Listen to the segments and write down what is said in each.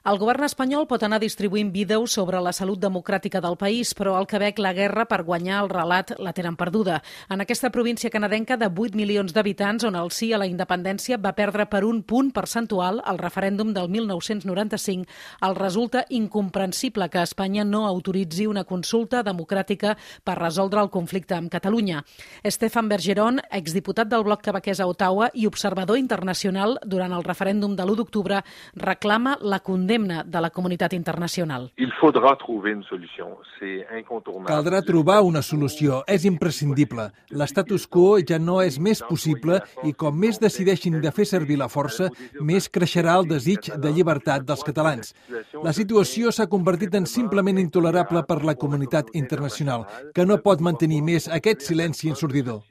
El govern espanyol pot anar distribuint vídeos sobre la salut democràtica del país, però al Quebec la guerra per guanyar el relat la tenen perduda. En aquesta província canadenca de 8 milions d'habitants, on el sí a la independència va perdre per un punt percentual al referèndum del 1995, el resulta incomprensible que Espanya no autoritzi una consulta democràtica per resoldre el conflicte amb Catalunya. Stéphane Bergeron, exdiputat del Bloc quebequès a Ottawa i observador internacional durant el referèndum de l'1 d'octubre, reclama la condemna de la comunitat internacional. Caldrà trobar una solució. És imprescindible. L'estatus quo ja no és més possible i com més decideixin de fer servir la força, més creixerà el desig de llibertat dels catalans. La situació s'ha convertit en simplement intolerable per la comunitat internacional, que no pot mantenir més aquest silenci ensordidor.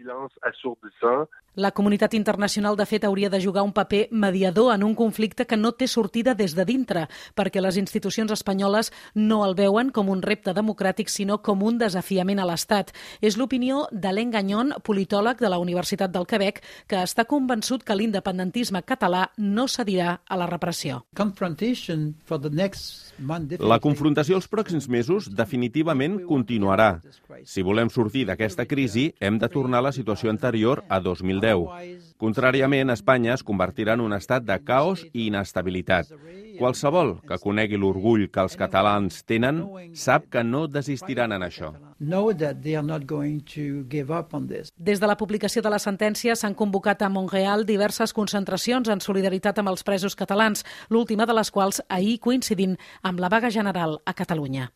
La comunitat internacional, de fet, hauria de jugar un paper mediador en un conflicte que no té sortida des de dintre, perquè les institucions espanyoles no el veuen com un repte democràtic, sinó com un desafiament a l'Estat. És l'opinió d'Alain Gagnon, politòleg de la Universitat del Quebec, que està convençut que l'independentisme català no cedirà a la repressió. La confrontació els pròxims mesos definitivament continuarà. Si volem sortir d'aquesta crisi, hem de tornar a la situació anterior a 2010. Contràriament, Espanya es convertirà en un estat de caos i inestabilitat. Qualsevol que conegui l'orgull que els catalans tenen sap que no desistiran en això. Des de la publicació de la sentència s'han convocat a Montreal diverses concentracions en solidaritat amb els presos catalans, l'última de les quals ahir coincidint amb la vaga general a Catalunya.